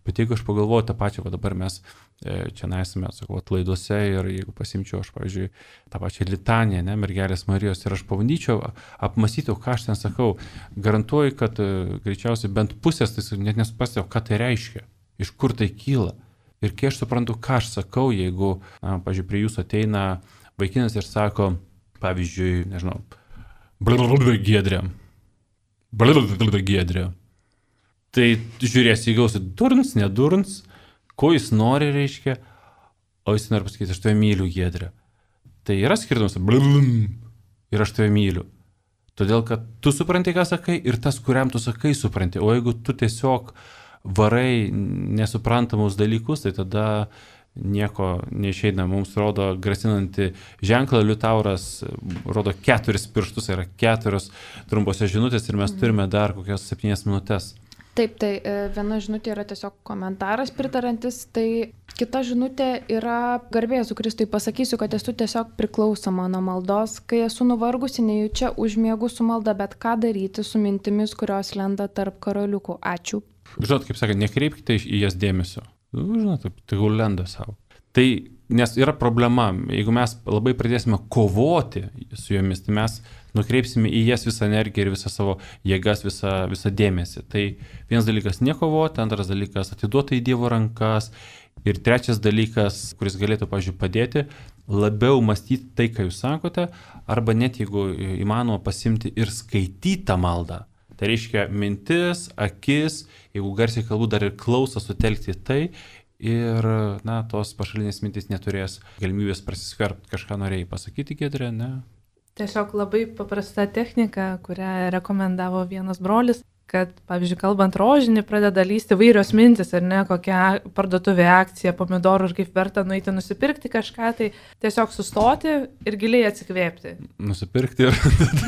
Speaker 1: Bet jeigu aš pagalvoju tą pačią, va dabar mes e, čia nesame, sakau, laiduose ir jeigu pasimčiau aš, pavyzdžiui, tą pačią litaniją, ne, mergelės Marijos, ir aš pabandyčiau apmąstyti, ką aš ten sakau, garantuoju, kad e, greičiausiai bent pusės, tai net nesuprastėjau, ką tai reiškia, iš kur tai kyla. Ir kai aš suprantu, ką aš sakau, jeigu, na, pavyzdžiui, prie jūsų ateina vaikinas ir sako, pavyzdžiui, nežinau, blablabla giedrė, blablabla giedrė. Tai žiūrėsi, įgausi durns, nedurns, ko jis nori, reiškia, o jis nori pasakyti, aš tave myliu, giedrė. Tai yra skirtumas, blablabla, ir aš tave myliu. Todėl, kad tu supranti, ką sakai, ir tas, kuriam tu sakai, supranti. O jeigu tu tiesiog varai nesuprantamus dalykus, tai tada nieko neišeina. Mums rodo grasinantį ženklą, Liutauras rodo keturis pirštus, yra keturios trumpose žinutės ir mes turime dar kokias septynias minutės.
Speaker 3: Taip, tai viena žinutė yra tiesiog komentaras pritarantis, tai Kita žinutė yra garbė Jėzui Kristui. Pasakysiu, kad esu tiesiog priklausoma nuo maldos. Kai esu nuvargusi, nejučia užmiegu su malda, bet ką daryti su mintimis, kurios lenda tarp karoliukų. Ačiū.
Speaker 1: Žinot, kaip sakant, nekreipkite į jas dėmesio. Žinot, tegul lenda savo. Tai, nes yra problema, jeigu mes labai pradėsime kovoti su jomis, tai mes nukreipsime į jas visą energiją ir visą savo jėgas, visą, visą dėmesį. Tai vienas dalykas nekovoti, antras dalykas atiduoti į Dievo rankas ir trečias dalykas, kuris galėtų, pavyzdžiui, padėti, labiau mąstyti tai, ką jūs sakote, arba net jeigu įmanoma pasimti ir skaityti tą maldą. Tai reiškia mintis, akis, jeigu garsiai kalbu, dar ir klausą sutelkti tai ir, na, tos pašalinės mintis neturės galimybės prasiskverbti. Kažką norėjai pasakyti, Giedrė, ne?
Speaker 2: Tiesiog labai paprasta technika, kurią rekomendavo vienas brolis, kad, pavyzdžiui, kalbant rožinį, pradeda lysti vairios mintis, ar ne, kokia parduotuvė akcija, pomidorų ir kaip verta nueiti nusipirkti kažką, tai tiesiog sustoti ir giliai atsikvėpti.
Speaker 1: Nusipirkti ir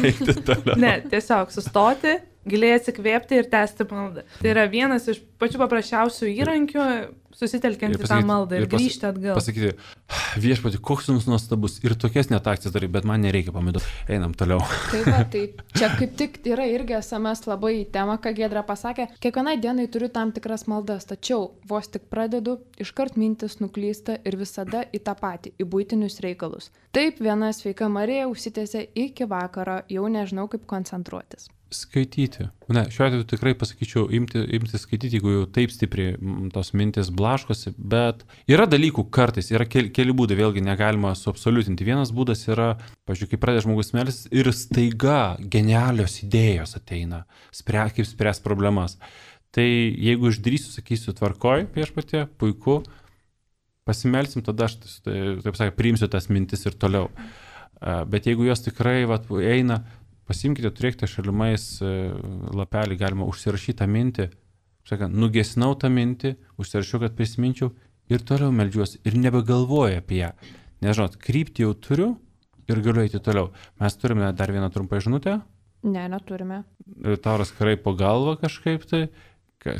Speaker 1: eiti toliau.
Speaker 2: Ne, tiesiog sustoti, giliai atsikvėpti ir tęsti maldą. Tai yra vienas iš pačių paprasčiausių įrankių, susitelkiant į tą maldą ir, ir pas, grįžti atgal.
Speaker 1: Pasakyti, viešpatie, koks jums nuostabus ir tokias net akcijas darai, bet man nereikia pomidorų. Einam toliau.
Speaker 3: Taip, va, tai čia kaip tik yra irgi S M S labai į temą, ką Giedra pasakė. Kiekvienai dienai turiu tam tikras maldas, tačiau vos tik pradedu, iškart mintis nuklysta ir visada į tą patį, į buitinius reikalus. Taip, viena sveika Marija užsitęsė iki vakaro, jau nežinau kaip koncentruotis.
Speaker 1: Skaityti. Ne, šiuo atveju tikrai pasakyčiau, imti, imti skaityti, jeigu jau taip stipriai tos mintis blaškosi, bet yra dalykų kartais, yra keli, keli būdai, vėlgi negalima suabsoliutinti. Vienas būdas yra, pažiūrėjau, kai pradeda žmogus melstis ir staiga genialios idėjos ateina, spre, kaip spręs problemas. Tai jeigu išdrįsiu, sakysiu, tvarkoj, viešpatie, puiku, pasimelsim, tada aš, taip sakė, priimsiu tas mintis ir toliau. Bet jeigu jos tikrai vat, eina, pasimkite, turėkite šalimais lapelį, galima užsirašyti tą mintį, sakant, nugesinau tą mintį, užsirašiau, kad prisiminčiau ir toliau meldžiuosi ir nebegalvoju apie ją. Nes, žinot, kryptį jau turiu ir galiu eiti toliau. Mes turime dar vieną trumpą žinutę.
Speaker 3: Ne, neturime.
Speaker 1: Tauras karai po galvą kažkaip tai.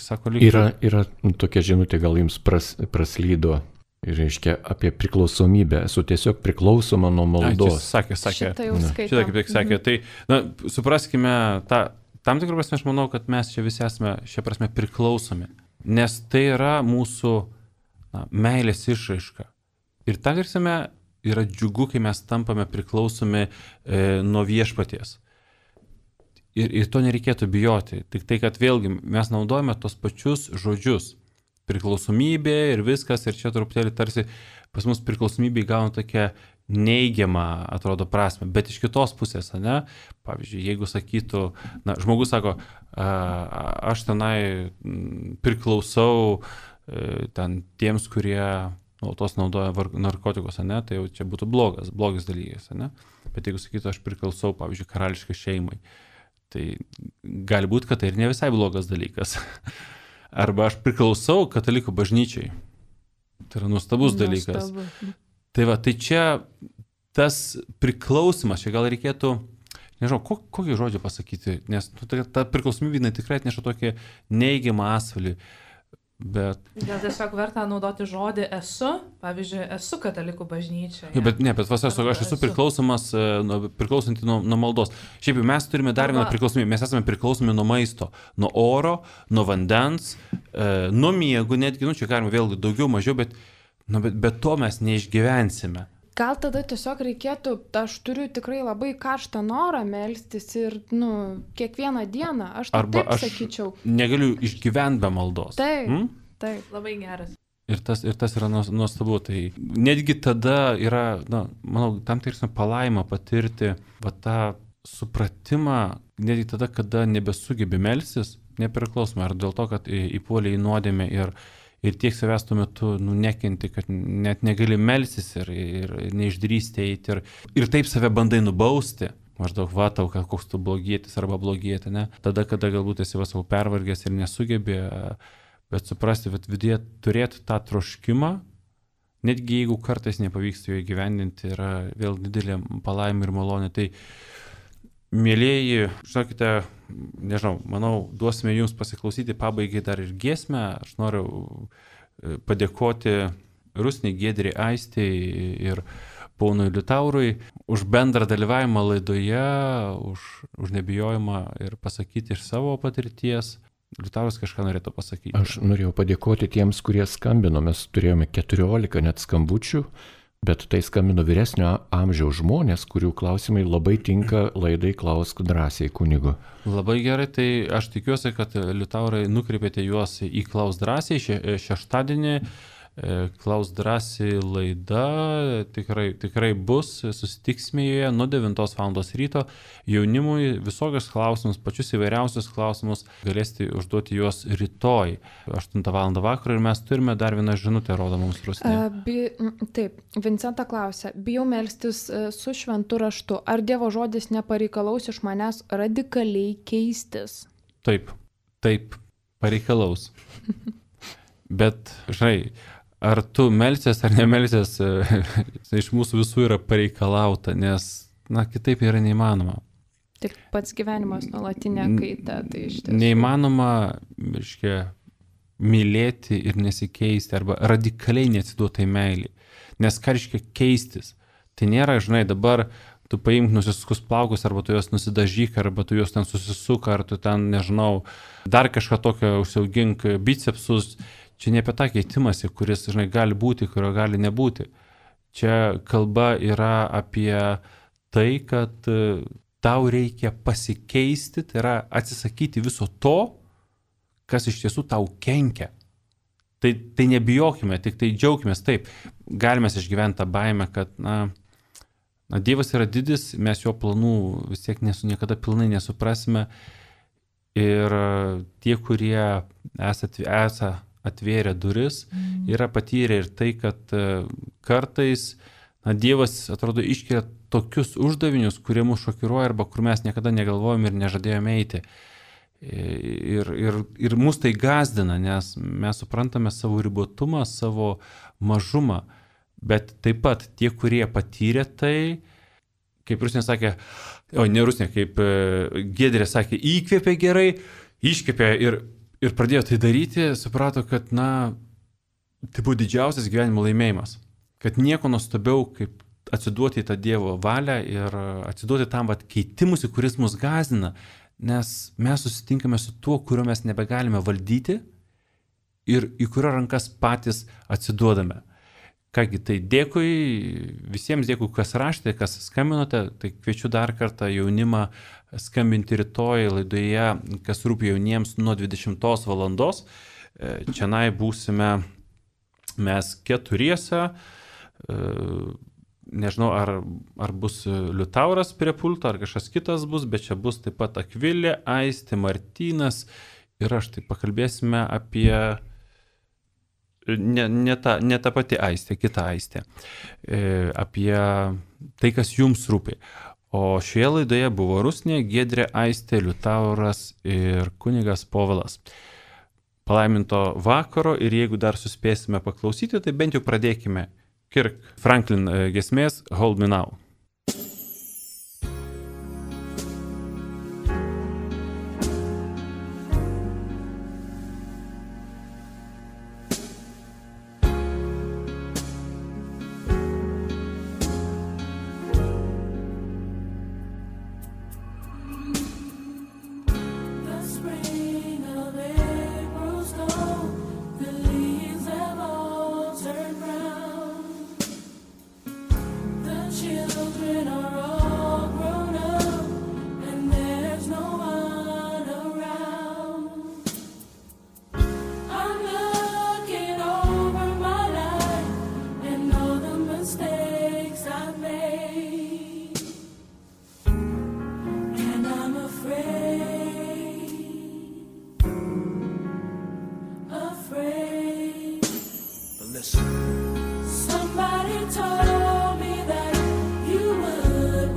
Speaker 1: Sako, lyg...
Speaker 5: Yra, yra tokia žinutė, gal jums pras, praslydo. Ir reiškia apie priklausomybę, esu tiesiog priklausoma nuo maldos.
Speaker 1: Ai, sakė, sakė.
Speaker 3: Šitą jau skaitau.
Speaker 1: Šitą kaip tik sakė. Mhm. Tai, na, supraskime, ta, tam tikrų prasme aš manau, kad mes čia visi esame šia prasme priklausomi. Nes tai yra mūsų na, meilės išraiška. Ir tam tiksime yra džiugu, kai mes tampame priklausomi e, nuo viešpaties. Ir, ir to nereikėtų bijoti. Tik tai, kad vėlgi mes naudojame tos pačius žodžius. Priklausomybė ir viskas, ir čia truputėlį tarsi pas mus priklausomybė įgauna tokią neigiamą, atrodo, prasme, bet iš kitos pusės, ne, pavyzdžiui, jeigu sakytų, na, žmogus sako, aš tenai priklausau ten tiems, kurie nuolatos naudoja narkotikus, ne, tai jau čia būtų blogas, blogas dalykas, ne, bet jeigu sakytų, aš priklausau, pavyzdžiui, karališkai šeimai, tai gali būti, kad tai ir ne visai blogas dalykas. Arba aš priklausau katalikų bažnyčiai. Tai yra nuostabus dalykas.
Speaker 3: Nuostabu.
Speaker 1: Tai va, tai čia tas priklausimas, čia gal reikėtų, nežinau, ko, kokį žodį pasakyti, nes ta, ta priklausomybė tikrai atneša tokį neigiamą asvalį. Bet...
Speaker 2: Gal tiesiog verta naudoti žodį esu, pavyzdžiui, esu katalikų bažnyčioje.
Speaker 1: Ja, bet ne, bet vas, aš, aš esu priklausomas, priklausanti nuo, nuo maldos. Šiaip mes turime dar vieną priklausomybę, mes esame priklausomi nuo maisto, nuo oro, nuo vandens, e, nuo miego, netgi, nu čia galima vėlgi daugiau, mažiau, bet, nu, bet, bet to mes neišgyvensime.
Speaker 3: Gal tada tiesiog reikėtų, aš turiu tikrai labai karštą norą melstis ir, nu, kiekvieną dieną, aš taip,
Speaker 1: Arba
Speaker 3: taip
Speaker 1: aš
Speaker 3: sakyčiau.
Speaker 1: negaliu išgyventi be maldos.
Speaker 3: Taip,
Speaker 1: hmm?
Speaker 3: taip.
Speaker 2: Labai geras.
Speaker 1: Ir tas, ir tas yra nuostabu. Tai netgi tada yra, na, manau, tam tiksime palaimą patirti va, tą supratimą, netgi tada, kada nebesugebi melstis, nepriklausomai, ar dėl to, kad įpuolė į nuodėmę ir Ir tiek savęs tuo metu nu, nekenti, kad net negali melstis ir, ir neišdrįsti eiti. Ir, ir taip save bandai nubausti. Maždaug vatau, koks tu blogietis arba blogietė, ne? Tada, kada galbūt esi vasau pervargęs ir nesugebi, bet suprasti, kad viduje turėti tą troškimą, netgi jeigu kartais nepavyksta jo įgyvendinti, yra vėl didelė palaima ir malonė. Tai Mėlėjai, žinokite, nežinau, manau, duosime jums pasiklausyti pabaigai dar ir giesmę. Aš noriu padėkoti Rusnei, Giedrei, Aistei ir ponui Liutaurui už bendrą dalyvavimą laidoje, už, už nebijojimą ir pasakyti iš savo patirties. Liutauras kažką norėtų pasakyti.
Speaker 5: Aš norėjau padėkoti tiems, kurie skambino. Mes turėjome keturiolika net skambučių, bet tai skambino vyresnio amžiaus žmonės, kurių klausimai labai tinka laidai Klausk drąsiai kunigo.
Speaker 1: Labai gerai, tai aš tikiuosi, kad Liutaurai nukreipėte juos į Klausk drąsiai še, šeštadienį. Klausk drąsiai laida tikrai, tikrai bus, susitiksime joje nuo devintos valandos ryto. Jaunimui visokius klausimus, pačius įvairiausius klausimus galėsite užduoti juos rytoj, aštuntą valandą vakaro ir mes turime dar vieną žinutę, rodo mums Rusnė.
Speaker 3: Bi, taip, Vincenta klausia, bijau melstis su šventu raštu, ar Dievo žodis nepareikalaus iš manęs radikaliai keistis?
Speaker 1: Taip, taip, pareikalaus. Bet, žinai, ar tu melsies ar nemelsies, iš mūsų visų yra pareikalauta, nes, na, kitaip yra neįmanoma.
Speaker 3: Tik pats gyvenimas nuolatinė kaita, tai iš tiesų.
Speaker 1: Neįmanoma, reiškia, mylėti ir nesikeisti, arba radikaliai neatsiduotai meilį. Nes ką reiškia keistis? Tai nėra, žinai, dabar tu paimk nusiskus plaukus, arba tu juos nusidažyk, arba tu juos ten susisuk, ar tu ten, nežinau, dar kažką tokio užsiaugink bicepsus. Čia ne apie tą keitimąsi, kuris, žinai, gali būti, kurio gali nebūti. Čia kalba yra apie tai, kad tau reikia pasikeisti, tai yra atsisakyti viso to, kas iš tiesų tau kenkia. Tai, tai nebijokime, tik tai džiaukimės. Taip, galime išgyventi tą baimę, kad, na, na, Dievas yra didis, mes jo planų vis tiek nesu, niekada pilnai nesuprasime. Ir tie, kurie esat, esat atvėrė duris, mm. yra patyrę ir tai, kad kartais, na, Dievas, atrodo, iškelia tokius uždavinius, kurie mus šokiruoja arba kur mes niekada negalvojom ir nežadėjome eiti. Ir, ir, ir mus tai gazdina, nes mes suprantame savo ribotumą, savo mažumą, bet taip pat tie, kurie patyrė tai, kaip Rusnė sakė, o ne Rusnė, kaip Giedrė sakė, įkvėpė gerai, iškvėpė ir Ir pradėjo tai daryti, suprato, kad, na, tai buvo didžiausias gyvenimo laimėjimas. Kad nieko nuostabiau, kaip atsiduoti į tą Dievo valią ir atsiduoti tam vat keitimusi, kuris mus gąsdina, nes mes susitinkame su tuo, kurio mes nebegalime valdyti ir į kurio rankas patys atsiduodame. Kągi, tai dėkui visiems, dėkui, kas raštė, kas skambinote, tai kviečiu dar kartą jaunimą skambinti rytoj laidoje, kas rūpi jauniems nuo dvidešimtos valandos. Čianai būsime mes keturiese, nežinau, ar, ar bus Liutauras prie pulto, ar kažkas kitas bus, bet čia bus taip pat Akvilė, Aistė, Martynas ir aš tai pakalbėsime apie... Ne, ne, ta, ne ta pati Aistė, kita Aistė, e, apie tai, kas jums rūpi. O šioje laidoje buvo Rusnė, Giedrė, Aistė, Liutauras ir kunigas Povilas. Palaiminto vakaro ir jeigu dar suspėsime paklausyti, tai bent jau pradėkime Kirk Franklin giesmės Hold Me Now.
Speaker 7: Somebody told me that you would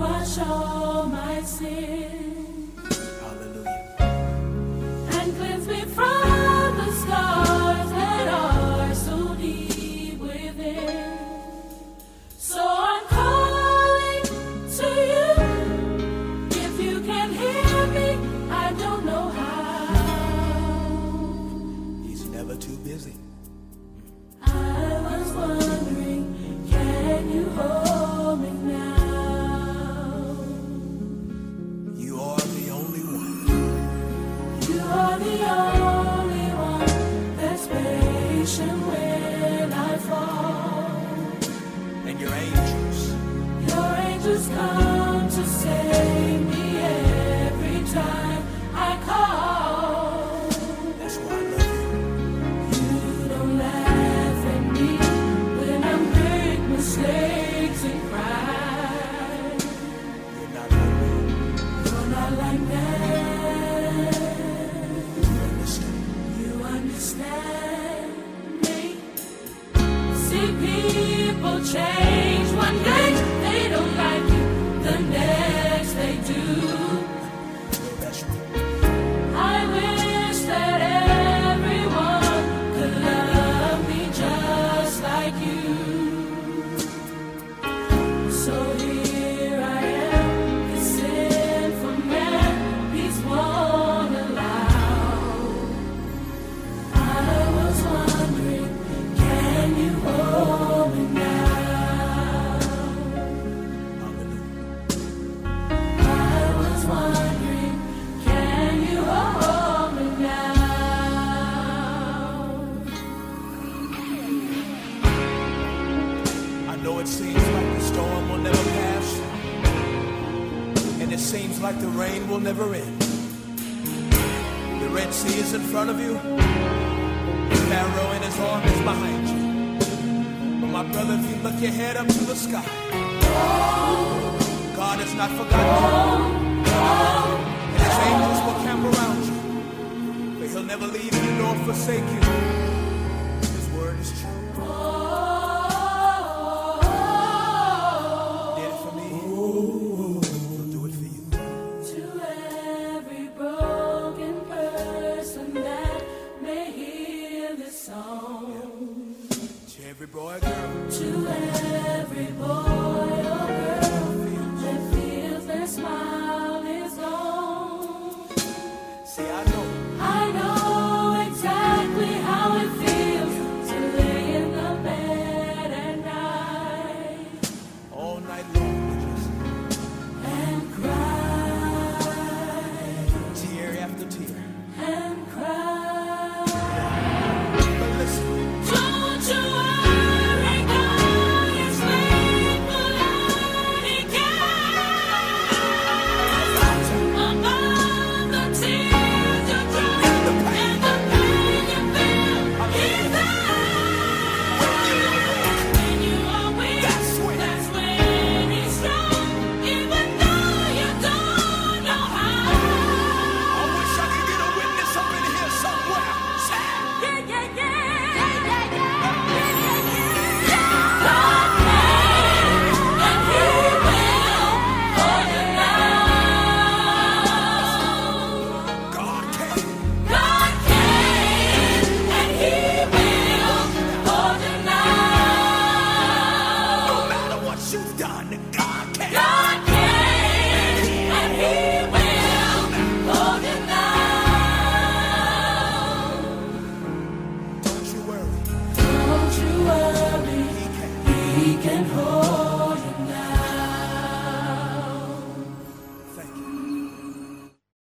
Speaker 7: Like the rain will never end. The Red Sea is in front of you. Pharaoh and his army is behind you. But my brother, if you look your head up to the sky, God has not forgotten you. And his angels will camp around you. But he'll never leave you nor forsake you. His word is true.